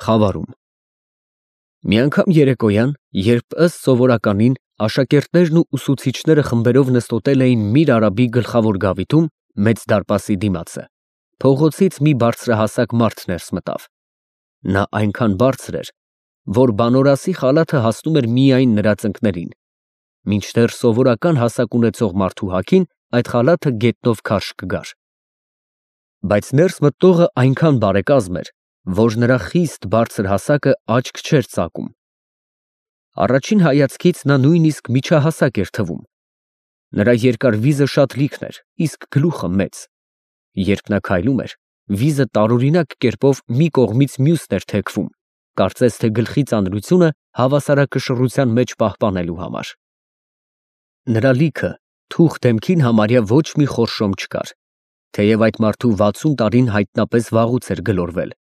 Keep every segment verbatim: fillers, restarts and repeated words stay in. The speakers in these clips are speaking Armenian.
Խավարում Մի անգամ երեկոյան, երբ ըստ սովորականին աշակերտներն ու ուսուցիչները խմբերով նստոտել էին Միր Արաբի գլխավոր գավիթում, մեծ դարպասի դիմացը, փողոցից մի բարձրահասակ մարդ ներս մտավ. նա այնքան բարձր էր, որ բանորասի խալաթը հասնում էր միայն նրա ծնկներին, մինչդեռ սովորական հասակ ունեցող մարդու հագին այդ խալաթը գետնով քարշ կգար. բայց ներս մտնողը այնքան բարեկազմ էր, որ նրա խիստ բարձր հասակը աչք չէր ծակում. առաջին հայացքից նա նույնիսկ միջահասակ էր թվում. նրա երկար վիզը շատ լիքն էր, իսկ գլուխը մեծ. երբ նա քայլում էր, վիզը տարօրինակ կերպով մի կողմից մյուսն էր թեքվում, կարծես թե գլխի ծանրությունը հավասարակշռության մեջ պահպանելու համար. Նրա լիքը թուխ դեմքին համարյա ոչ մի խորշոմ չկար, թեև այդ մարդու վաթսուն տարին հայտնապես վաղուց էր գլորվել.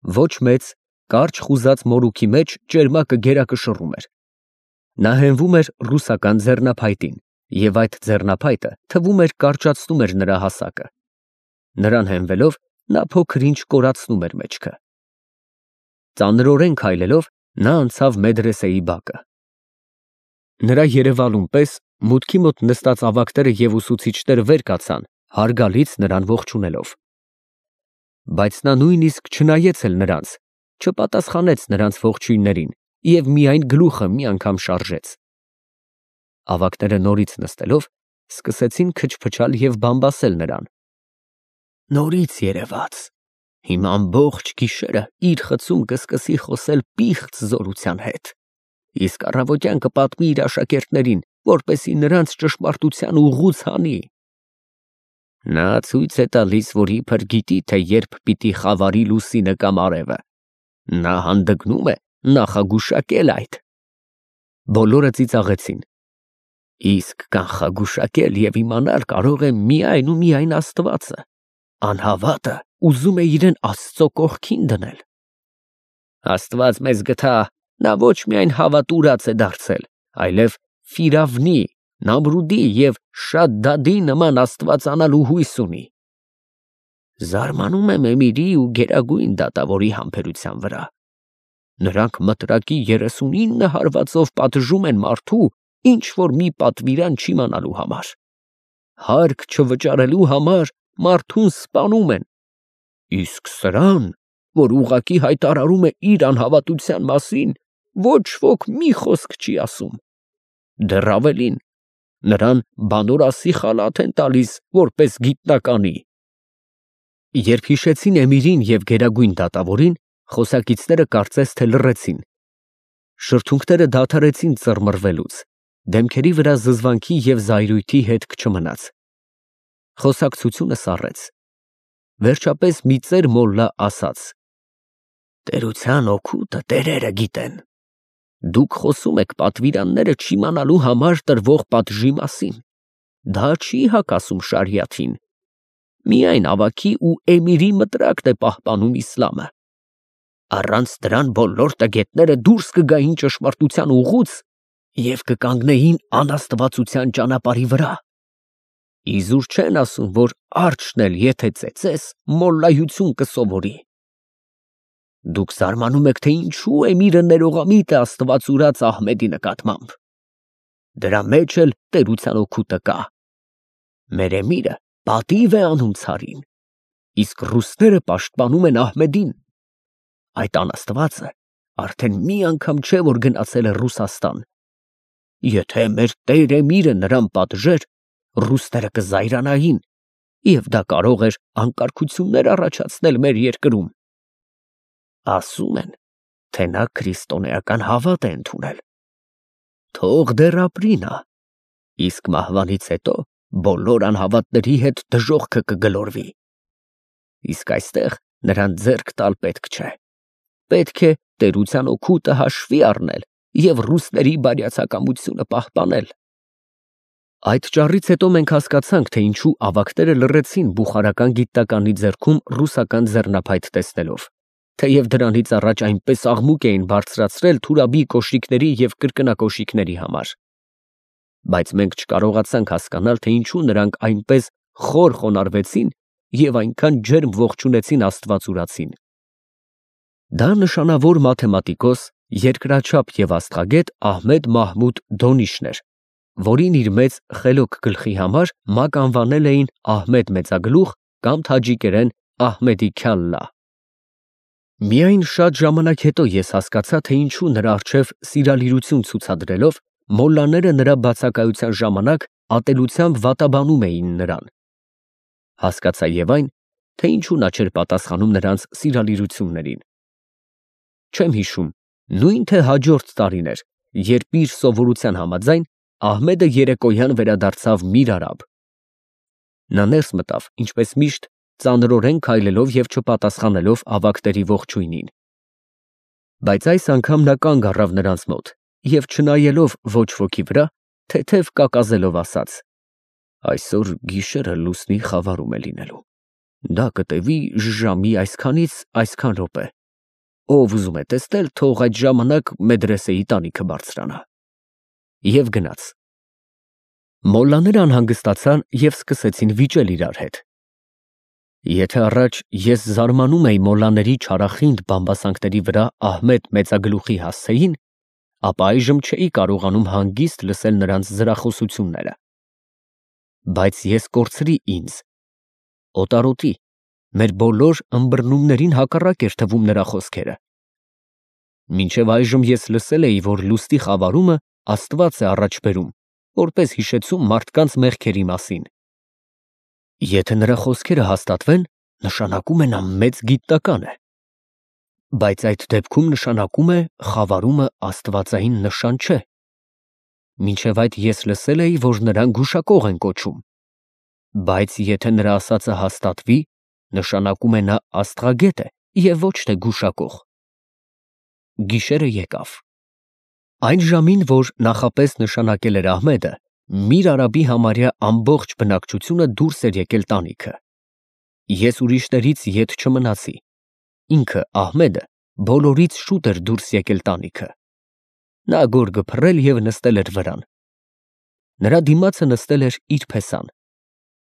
Ոչ մեծ, կարճ խուզած մորուքի մեջ ճերմակը գերակշռում էր. նա հենվում էր ռուսական ձեռնափայտին, և այդ ձեռնափայտը թվում էր կարճացնում էր նրա հասակը. նրան հենվելով, նա փոքր-ինչ կորացնում էր մեջքը. ծանրորեն քայլելով, նա անցավ մեդրեսեի բակը. նրա երևալուն պես մուտքի մոտ նստած ավագները և ուսուցիչները վեր կացան, հարգալից նրան ողջունելով. բայց նա նույնիսկ չնայեց էլ նրանց, չպատասխանեց նրանց ողջույններին և միայն գլուխը մի անգամ շարժեց. ավագները նորից նստելով, սկսեցին քչփչալ և բամբասել նրան. նորից երևաց, հիմա ամբողջ գիշերը իր խցում կսկսի խոսել պիղծ զորության հետ, իսկ առավոտյան կպատմի իր աշակերտներին, որպեսզի նրանց ճշմարտության ուղղուց հանի. նա ցույց է տալիս, որ իբր գիտի, թե երբ պիտի խավարի լուսինը կամ արևը, նա հանդգնում է նախագուշակել այդ. բոլորը ծիծաղեցին. իսկ կանխագուշակել և իմանալ կարող է միայն ու միայն Աստվածը, անհավատը ուզում է իրեն Աստծո կողքին դնել. Աստված մեզ գթա, նա ոչ միայն հավատուրաց է դարձել, այլև Ֆիրավնի, Նամրուդի և Շադդադի նման աստվածանալու հույս ունի. զարմանում եմ Էմիրի ու Գերագույն դատավորի համբերության վրա. նրանք մտրակի երեսունինը հարվածով պատժում են մարդու, ինչ որ մի պատվիրան չիմանալու համար, հարկ չվճարելու համար մարդուն սպանում են, իսկ սրան, որ ուղղակի հայտարարում է իր անհավատության մասին, ոչ ոք մի խոսք չի ասում, դեռ ավելին, նրան բանորասի խալաթ են տալիս, որպես գիտնականի. Երբ հիշեցին Էմիրին և Գերագույն դատավորին, խոսակիցները կարծես թե լռեցին. շրթունքները դադարեցին ծռմռվելուց, դեմքերի վրա զզվանքի և զայրույթի հետք չմնաց. խոսակցությունը սառեց. վերջապես մի ծեր մոլլա ասաց. տերության օգուտը տերերը գիտեն, դուք խոսում եք պատվիրանները չիմանալու համար տրվող պատժի մասին, դա չի հակասում շարիաթին, միայն ավագի ու Էմիրի մտրակն է պահպանում իսլամը, առանց դրան բոլոր տգետները դուրս կգային ճշմարտության ուղուց և կկանգնեին անաստվածության ճանապարհի վրա, իզուր չեն ասում, որ արջն էլ եթե ծեծես, մոլլայություն կսովորի. Դուք զարմանում եք, թե ինչու Էմիրը ներողամիտ է Աստված ուրած Ահմեդի նկատմամբ, դրա մեջ էլ տերության օգուտը կա, մեր Էմիրը պատիվ է անում ցարին, իսկ ռուսները պաշտպանում են Ահմեդին, այդ անաստվածը արդեն մի անգամ չէ, որ գնացել է Ռուսաստան, եթե մեր տեր Էմիրը նրան պատժեր, ռուսները կզայրանային և դա կարող էր անկարգություններ առաջացնել մեր երկրում, ասում են, թե նա քրիստոնեական հավատ է ընդունել, թող դեռ ապրի նա, իսկ մահվանից հետո բոլոր անհավատների հետ դժոխքը կգլորվի, իսկ այստեղ նրան ձեռք տալ պետք չէ, պետք է տերության օգուտը հաշվի առնել և ռուսների բարյացակամությունը պահպանել. Այդ ճառից հետո մենք հասկացանք, թե ինչու ավագները լռեցին բուխարական գիտնականի ձեռքում ռուսական ձեռնափայտ տեսնելով, թեև դրանից առաջ այնպես աղմուկ էին բարձրացրել Թուրաբի կոշիկների և կրկնակոշիկների համար, բայց մենք չկարողացանք հասկանալ, թե ինչու նրանք այնպես խոր խոնարհվեցին և այնքան ջերմ ողջունեցին Աստված ուրացին. Դա նշանավոր մաթեմատիկոս, երկրաչափ և աստղագետ Ահմեդ Մահմուդ Դոնիշն էր, որին իր մեծ խելոք գլխի համար մակ անվանել էին Ահմեդ մեծագլուխ կամ թաջիկերեն Ահմեդի քյալլա։ Միայն շատ ժամանակ հետո ես հասկացա, թե ինչու նրա առջև սիրալիրություն ցուցադրելով մոլլաները նրա բացակայության ժամանակ ատելությամբ վատաբանում էին նրան։ Հասկացա և այն, թե ինչու նա չէր պատասխանում նրանց սիրալիրություններին։ Չեմ հիշում, նույն թե հաջորդ տարին էր, երբ իր սովորության համաձայն Ահմեդը երեկոյան վերադարձավ Միր Արաբ։ Նա ներս մտավ, ինչպես միշտ, ծանրորեն քայլելով և չպատասխանելով ավագների ողջույնին։ Բայց այս անգամ նա կանգ առավ նրանց մոտ և չնայելով ոչ ոքի վրա, թեթև կակազելով ասաց. «Այսօր գիշերը լուսնի խավարում է լինելու, դա կտևի ժամի այսքանից այսքան րոպե, ով ուզում է տեսնել, թող այդ ժամանակ մեդրեսեի տանիքը բարձրանա»։ Եվ գնաց։ Մոլլաները անհանգստացան և սկսեցին վիճել իրար հետ։ Եթե առաջ ես զարմանում էի մոլլաների չարախինդ բամբասանքների վրա Ահմեդ մեծագլուխի հասցեին, ապա այժմ չէի կարողանում հանգիստ լսել նրանց զրախոսությունները։ Բայց ես կորցրի ինձ։ Օտարոտի, մեր բոլոր ըմբռնումներին հակառակ էր թվում նրա խոսքերը։ Մինչև այժմ ես լսել էի, որ լուսնի խավարումը Աստված է առաջ բերում, որպես հիշեցում մարդկանց մեղքերի մասին։ Եթե նրա խոսքերը հաստատվեն, նշանակում է նա մեծ գիտնական է։ Բայց այդ դեպքում նշանակում է խավարումը աստվածային նշան չէ։ Մինչև այդ ես լսել էի, որ նրան գուշակող են կոչում։ Բայց եթե նրա ասածը հաստատվի, նշանակում է նա աստղագետ է և ոչ թե գուշակող։ Գիշերը եկավ։ Այն ժամին, որ նախապես նշանակել էր Ահմեդը, Միր Արաբի համարյա ամբողջ բնակչությունը դուրս էր եկել տանիքը։ Ես ուրիշներից ետ չմնացի։ Ինքը Ահմեդը բոլորից շուտ էր դուրս եկել տանիքը։ Նա գորգը փռել և նստել էր վրան։ Նրա դիմացը նստել էր իր փեսան։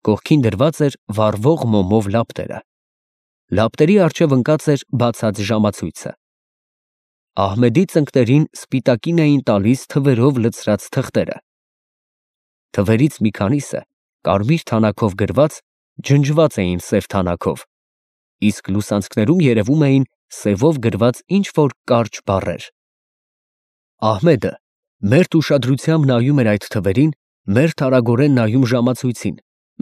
Կողքին դրված էր վառվող մոմով լապտերը։ Լապտերի առջև ընկած էր բացած ժամացույցը։ Ահմեդի ծնկներին սպիտակին էին տալիս թվերով լցրած թղթերը։ Թվերից մի քանիսը կարմիր թանաքով գրված, ջնջված էին սև թանաքով, իսկ լուսանցքներում երևում էին սևով գրված ինչ-որ կարճ բառեր։ Ահմեդը մերթ ուշադրությամբ նայում էր այդ թվերին, մերթ արագորեն նայում ժամացույցին,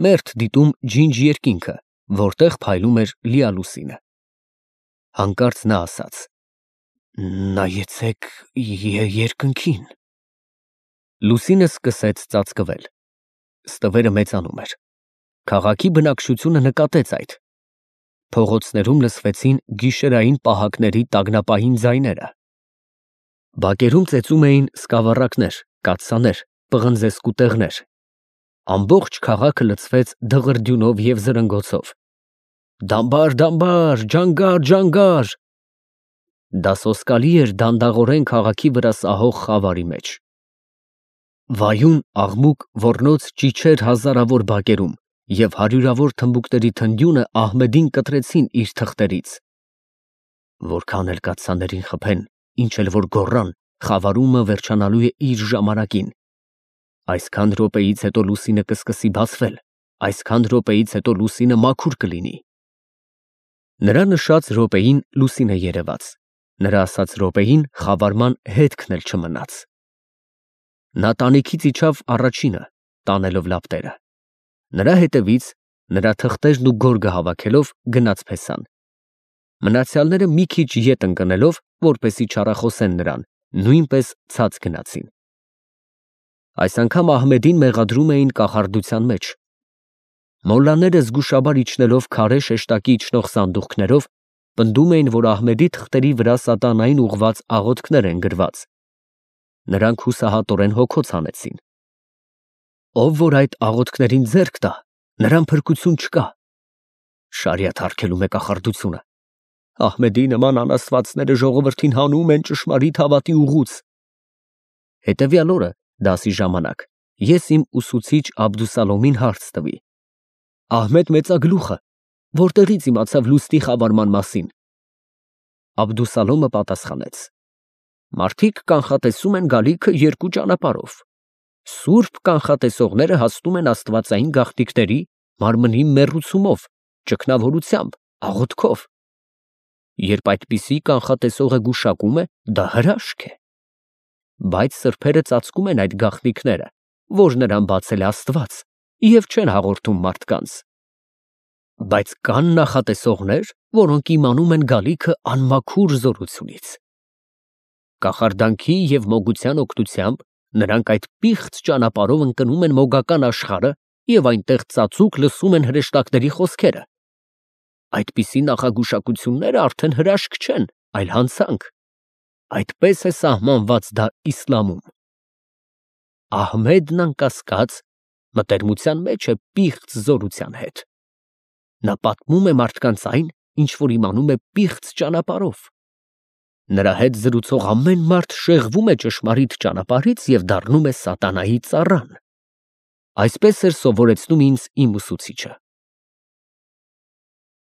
մերթ դիտում ջինջ երկինքը, որտեղ փայլում էր լիալուսինը։ Հանկարծ նա ասաց. «Նայեցեք երկնքին»։ Լուսինը սկսեց ծածկվել։ Ստվերը մեծանում էր։ Քաղաքի բնակչությունը նկատեց այդ։ Փողոցներում լսվեցին գիշերային պահակների տագնապային ձայները։ Բակերում ծեծում էին սկավառակներ, կաթսաներ, պղնձե սկուտեղներ։ Ամբողջ քաղաքը լցվեց դղրդյունով և զրնգոցով։ «Դամբար, դամբար, ջանգար, ջանգար»։ Դա սոսկալի էր դանդաղորեն քաղաքի վրա սահող խավարի մեջ։ Վայուն, աղմուկ, ոռնոց ճիչեր հազարավոր բակերում և հարյուրավոր թմբուկների թնդյունը Ահմեդին կտրեցին իր թղթերից։ Որքան էլ կաթսաներին խփեն, ինչ էլ որ գոռան, խավարումը վերջանալու է իր ժամանակին։ Այսքան րոպեից հետո լուսինը կսկսի բացվել, այսքան րոպեից հետո լուսինը մաքուր կլինի։ Նրա նշած րոպեին լուսինը երևաց, նրա ասած րոպեին խավարման հետքն էլ չմնաց։ Նա տանիքից իջավ առաջինը, տանելով լապտերը։ Նրա հետևից, նրա թղթերն ու գորգը հավաքելով, գնաց փեսան։ Մնացյալները մի քիչ ետ ընկնելով, որպեսզի չառախոսեն նրան, նույնպես ցած գնացին։ Այս անգամ Ահմեդին մեղադրում էին կախարդության մեջ։ Մոլլաները զգուշաբար իջնելով քարե շեշտակի իջնող սանդուղքներով, պնդում էին, որ Ահմեդի թղթերի վրա սատանային ուղղված աղոթքներ են գրված։ Նրանք հուսահատորեն հոգոց հանեցին։ Ով որ այդ աղոթքներին ձեռք տա, նրան փրկություն չկա։ Շարիաթ հարգելում է կախարդությունը։ Ահմեդի նման անաստվածները ժողովրդին հանում են ճշմարիտ հավատի ուղուց։ Հետևյալ օրը, դասի ժամանակ, ես իմ ուսուցիչ Աբդուսալոմին հարց տվի. Ահմեդ մեծագլուխը որտեղից իմացավ լուսնի խավարման մասին։ Աբդուսալոմը պատասխանեց. Մարդիկ կանխատեսում են գալիքը երկու ճանապարհով. սուրբ կանխատեսողները հասնում են աստվածային գաղտնիքների մարմնի մեռուցումով, ճգնավորությամբ, աղոթքով։ Երբ այդպիսի կանխատեսողը գուշակում է, դա հրաշք է։ Բայց սրբերը ծածկում են այդ գաղտնիքները, որ նրան բացել է Աստված, և չեն հաղորդում մարդկանց։ Բայց կան նախատեսողներ, որոնք իմանում են գալիքը անմաքուր զորությունից։ Կախարդանքի և մոգության օգնությամբ նրանք այդ պիղծ ճանապարհով ընկնում են մոգական աշխարհը և այնտեղ ծածուկ լսում են հրեշտակների խոսքերը։ Այդպիսի նախագուշակությունները արդեն հրաշք չեն, այլ հանցանք։ Այդպես է սահմանված դա իսլամում։ Ահմեդն անկասկած մտերմության մեջ է պիղծ զորության հետ։ Նա պատմում է մարդկանց այն, ինչ որ իմանում է պիղծ ճանապարհով։ Նրա հետ զրուցող ամեն մարդ շեղվում է ճշմարիտ ճանապարհից և դառնում է սատանայի ծառան։ Այսպես էր սովորեցնում ինձ իմ ուսուցիչը։